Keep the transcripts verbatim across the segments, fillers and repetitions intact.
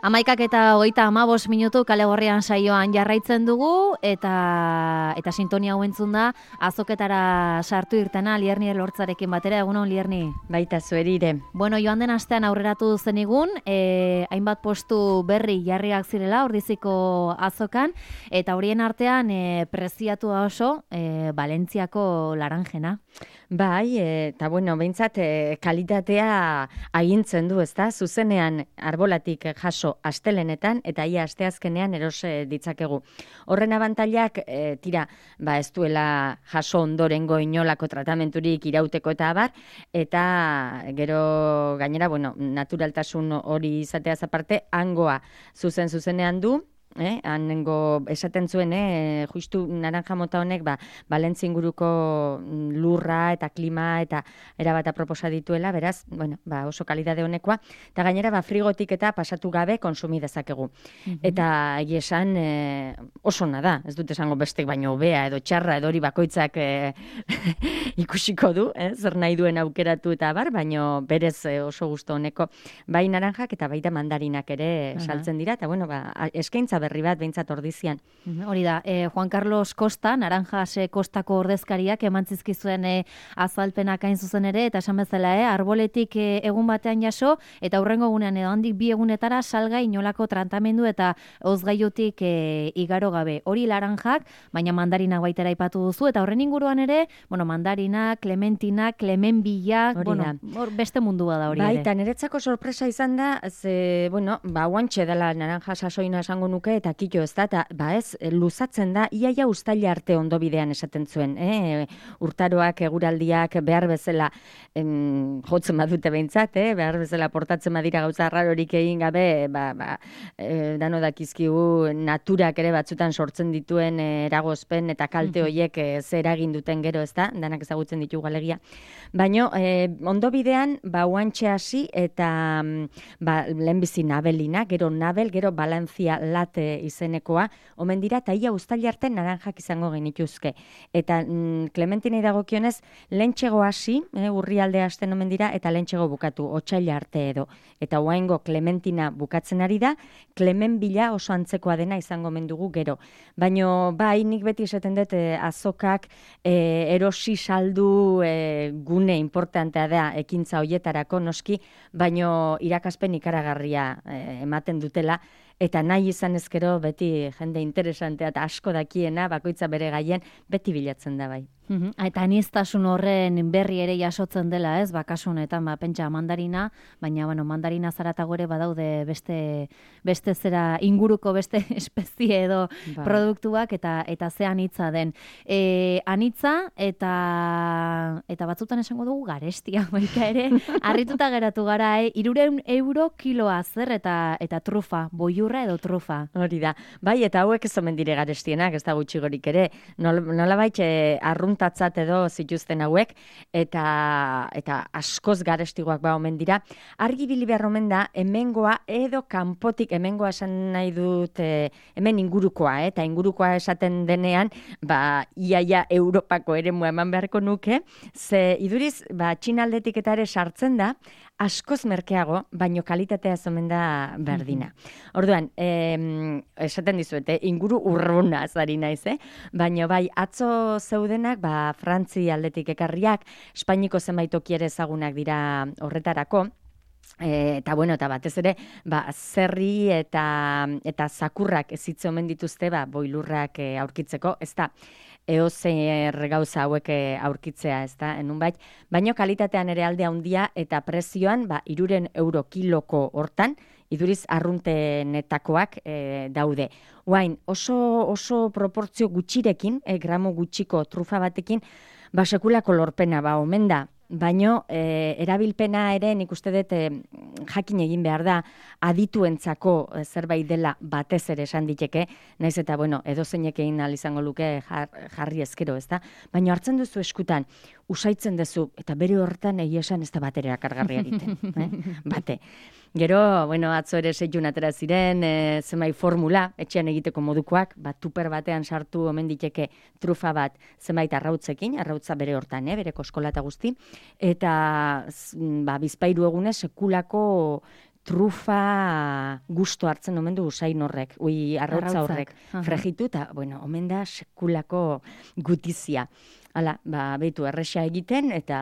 Amaikak eta hogeita hamabost minutu kale gorrian saioan jarraitzen dugu eta eta sintonia hau entzun da azoketara sartu irtena Lierni Elortzarekin batera. Egunon, Lierni. Baita zueri ere. Bueno, joan den astean aurreratu zenigun, eh, hainbat postu berri jarriak zirela Ordiziko azokan, eta horien artean eh, preziatua oso eh, Valentziako laranjena. Bai, eta bueno, behintzat e, kalitatea agintzen du, ezta? Zuzenean arbolatik jaso astelenetan eta ia asteazkenean eros ditzakegu. Horren abantailak, e, tira, ba ez duela jaso ondorengo inolako tratamenturik irauteko eta abar, eta gero gainera, bueno, naturaltasun hori izateaz aparte, hangoa zuzen zuzenean du. Eh, hanengo esaten zuen, eh, justu naranja mota honek, ba, Balentzi inguruko lurra eta klima eta erabata proposa dituela, beraz, bueno, ba, oso kalidade honekoa, eta gainera, ba, frigotik eta pasatu gabe konsumi dezakegu. Mm-hmm. Eta egia esan, eh, oso nada, ez dut esango bestek baino hobea edo txarra edo hori bakoitzak eh, ikusiko du, eh, zer nahi duen aukeratu eta bar, baino berez eh, oso gusto honeko, bai naranjak eta baita mandarinak ere uh-huh. saltzen dira, eta bueno, ba, eskaintza berri bat behintzat ordizian. Hori da, eh, Juan Carlos Costa, Naranjas Kostako ordezkariak eman zizkizuen eh, azalpenak hain zuzen ere, eta esan bezala, eh, arboletik eh, egun batean jaso, eta hurrengo egunean edo handik bi egunetara salga inolako tratamendu eta ozgaiotik eh, igaro gabe. Hori laranjak, baina mandarinak baitera aipatu duzu, eta horren inguruan ere, bueno, mandarinak, clementinak, clemenbilak, bueno, hor beste mundua da hori ere. Baita, niretzako sorpresa izan da, ze, bueno, ba, guantxe dela naranja sasoina esango nuke, eta kito ez da, eta ba ez, luzatzen da, iaia ustaila arte ondo bidean esaten zuen, eh? Urtaroak, eguraldiak, behar bezala em, jotzen badute behintzat, eh? Behar bezala portatzen badira gauza rarorik egin gabe, ba, ba, e, dano dakizkigu naturak ere batzutan sortzen dituen e, eragozpen eta kalte horiek e, zer egin duten gero ez da, danak ezagutzen ditugu alegia. Baina, e, ondo bidean, ba, uantxe hasi eta ba, lehenbizi nabelina, gero nabel, gero Valentzia late izenekoa, omen dira, eta ia ustaili arte naranjak izango genituzke. Eta mm, Clementinei dagokionez, lehentxego hasi, eh, urrialde hasten omen dira, eta lehentxego bukatu, otsaila arte edo. Eta oaingo Clementina bukatzen ari da, Clemenbila oso antzekoa dena izango omen dugu gero. Baina, bai, nik beti esaten dut, eh, azokak eh, erosi saldu eh, gune importantea da ekintza hoietarako noski, baino irakaspen ikaragarria eh, ematen dutela, eta nahi izan ezkero beti jende interesantea eta asko dakiena, bakoitza bere gaien, beti bilatzen da bai. Uhum. Eta aniztasun horren berri ere jasotzen dela, ez? Bakasu honetan, ba, pentsa mandarina, baina bueno, mandarina zaratago ere badaude beste beste zera inguruko beste espezie edo ba. produktuak eta eta ze anitza den. E, anitza eta eta batzutan esango dugu garestia baita ere. Harrituta geratu gara, eh? hirurehun euro kiloa zer eta eta trufa, boiurra edo trufa. Hori da. Bai, eta hauek ez omen dire garestienak, ez da gutxi gorik ere. Nol, nolabait eh, arrunt tatzat edo zituzten hauek, eta eta askoz garestigoak ba omen dira. Argi bili behar omen da, hemengoa edo kanpotik, hemengoa esan nahi dut, e, hemen ingurukoa, eh? Eta ingurukoa esaten denean, ba, iaia Europako eremua eman beharko nuke, ze iduriz, ba, Txinaldetik eta ere sartzen da, askoz merkeago, baino kalitatea zomen da berdina. Mm-hmm. Orduan, eh, esaten dizuete, inguru urruna zari naiz, eh? Baino bai, atzo zeudenak, ba, Frantzi aldetik ekarriak, Espainiko zenbait toki ere ezagunak dira horretarako, E, eta bueno, eta batez ere, ba, zerri eta eta zakurrak ezitze omen dituzte, ba, boilurrak e, aurkitzeko, ez da, eozer gauza hauek aurkitzea, ez da, enunbait, baino kalitatean ere alde handia eta prezioan, ba, iruren euro kiloko hortan, iduriz arruntenetakoak e, daude. Oain, oso, oso proportzio gutxirekin, e, gramo gutxiko trufa batekin, ba, sekulako lorpena, ba, omen da. Baino, e, erabilpena ere nik uste dut e, jakin egin behar da adituentzako e, zerbait dela batez ere esan diteke, naiz eta, bueno, edo zeinek egin ahal izango luke jar, jarri ezkero, ez da? Baino hartzen duzu eskutan, usaitzen duzu, eta bere horretan egia esan ez da batera kargarria egiten. eh? Bate. Gero, bueno, atzo ere seitun atera ziren, e, zenbait formula, etxean egiteko modukoak, bat tuper batean sartu omen diteke trufa bat zenbait arrautzekin, arrautza bere hortan, eh, bere koskola eta guzti, eta ba, bizpairu egunez sekulako trufa gusto hartzen omen du usain horrek, ui arrautza horrek, Arrautzak, aha. fregitu, eta, bueno, omen da sekulako gutizia. Hala, ba, behitu, erresa egiten, eta,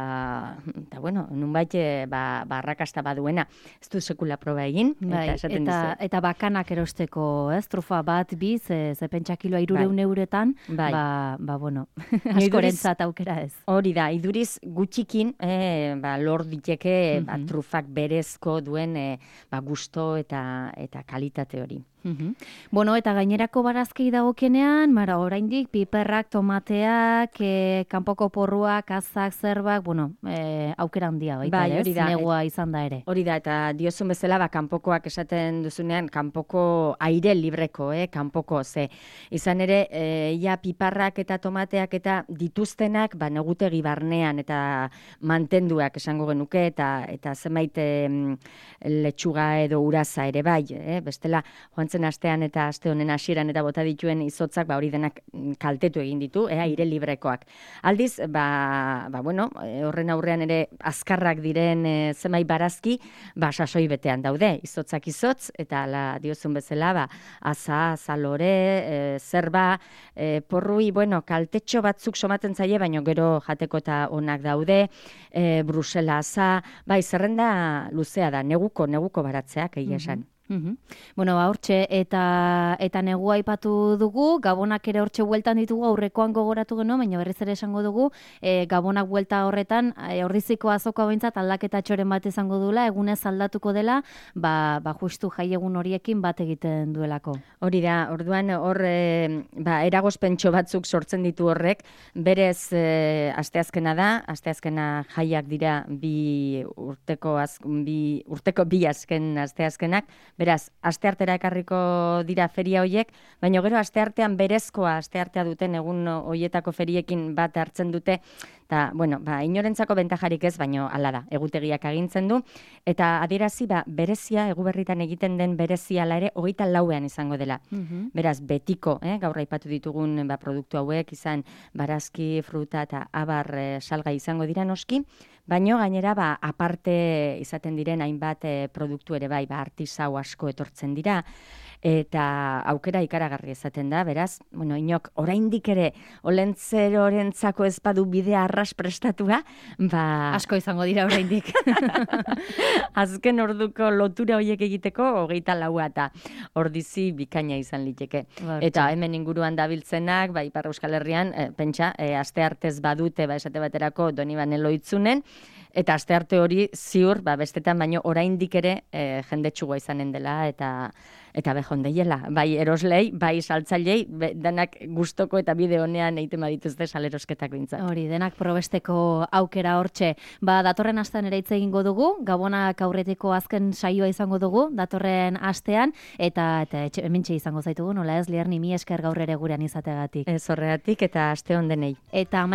eta bueno, nunbait, eh, ba, ba, arrakasta baduena. Ez du sekula proba egin, Bai, eta esaten eta, dizuet. eta bakanak erosteko, ez? Trufa bat, bi, ze, ze pentsa kiloa irureun euretan, Bai. ba, ba, bueno, Iduriz- askorentzat aukera ez. Hori da, iduriz gutxikin eh, ba, lor diteke ba, Mhm. trufak berezko duen eh, ba, gusto eta, eta kalitate hori. Mhm. Bueno, eta gainerako barazkei dagokenean, mara, oraindik piperrak, tomateak, e, kanpoko porruak, azak, zerbak, bueno, e, aukera handia baita, Bai, ere, hori ez? da. Negua izan da ere. Hori da, eta diozun bezala, ba, kanpokoak esaten duzunean, kanpoko aire libreko, eh, kanpoko, ze. Izan ere, e, ja piparrak eta tomateak eta dituztenak, ba, negutegi barnean eta mantenduak esango genuke, eta eta zenbait em, letxuga edo uraza ere bai, eh? Bestela, joan zen astean eta aste honen hasieran eta bota dituen izotzak, ba, hori denak mm, kaltetu egin ditu, eh, aire librekoak. Aldiz, ba, ba bueno, eh, horren aurrean ere azkarrak diren e, zenbait barazki, ba, sasoi betean daude, izotzak izotz, eta ala diozun bezala, ba, aza, azalore, e, zerba, e, porrui, bueno, kaltetxo batzuk somatzen zaie, baino gero jateko eta onak daude, e, Brusela aza, bai, zerrenda luzea da, neguko, neguko baratzeak, egia esan. Mhm. Bueno, ba, hortxe, eta, eta negua aipatu dugu, gabonak ere hortxe bueltan ditugu, aurrekoan gogoratu genuen, baina berriz ere esango dugu, e, gabonak buelta horretan, e, ordiziko azokoa behintzat aldaketa txoren bat izango duela, egunez aldatuko dela, ba, ba justu jaiegun horiekin bat egiten duelako. Hori da, orduan hor e, ba, eragozpentxo batzuk sortzen ditu horrek, berez e, asteazkena da, asteazkena jaiak dira bi urteko, az, bi, urteko bi azken asteazkenak, beraz, asteartera ekarriko dira feria hoiek, baina gero asteartean berezkoa asteartea duten egun hoietako feriekin bat hartzen dute, eta, bueno, ba, inorentzako bentajarik ez, baino hala da, egutegiak agintzen du, eta adierazi, ba, berezia, eguberritan egiten den berezia ala ere, hogeita lauean izango dela. Mhm. Beraz, betiko, eh, gaur aipatu ditugun ba, produktu hauek, izan barazki, fruta eta abar eh, salgai izango dira noski, baino gainera ba, aparte izaten diren hainbat eh, produktu ere bai, ba, artisau asko etortzen dira, eta aukera ikaragarri izaten da, beraz, bueno, inok oraindik ere olentzerorentzako ez badu bidea arras prestatua, ba... Asko izango dira oraindik. Azken orduko lotura horiek egiteko, hogeita laua eta ordizi bikaina izan liteke. Ba, Eta hemen inguruan dabiltzenak, ba, Ipar Euskal Herrian, e, pentsa, e, aste artez badute, ba, esate baterako Donibane Loitzunen, eta aste arte hori ziur, ba, bestetan baino oraindik ere e, jendetsugoa izanen dela, eta eta behondeiela, bai eroslei, bai saltzailei, danak gustoko eta bide honean egiten badituzte salerosketak bintzat. Hori, denak probesteko aukera hortxe. Ba, datorren astean ere hitz egingo dugu, gabonak aurretiko azken saioa izango dugu, datorren astean, eta, eta etxe, hementxe izango zaitugu, nola ez, Lierni, mi esker gaur ere gurean izateagatik. Ez horregatik eta aste on denei. Eta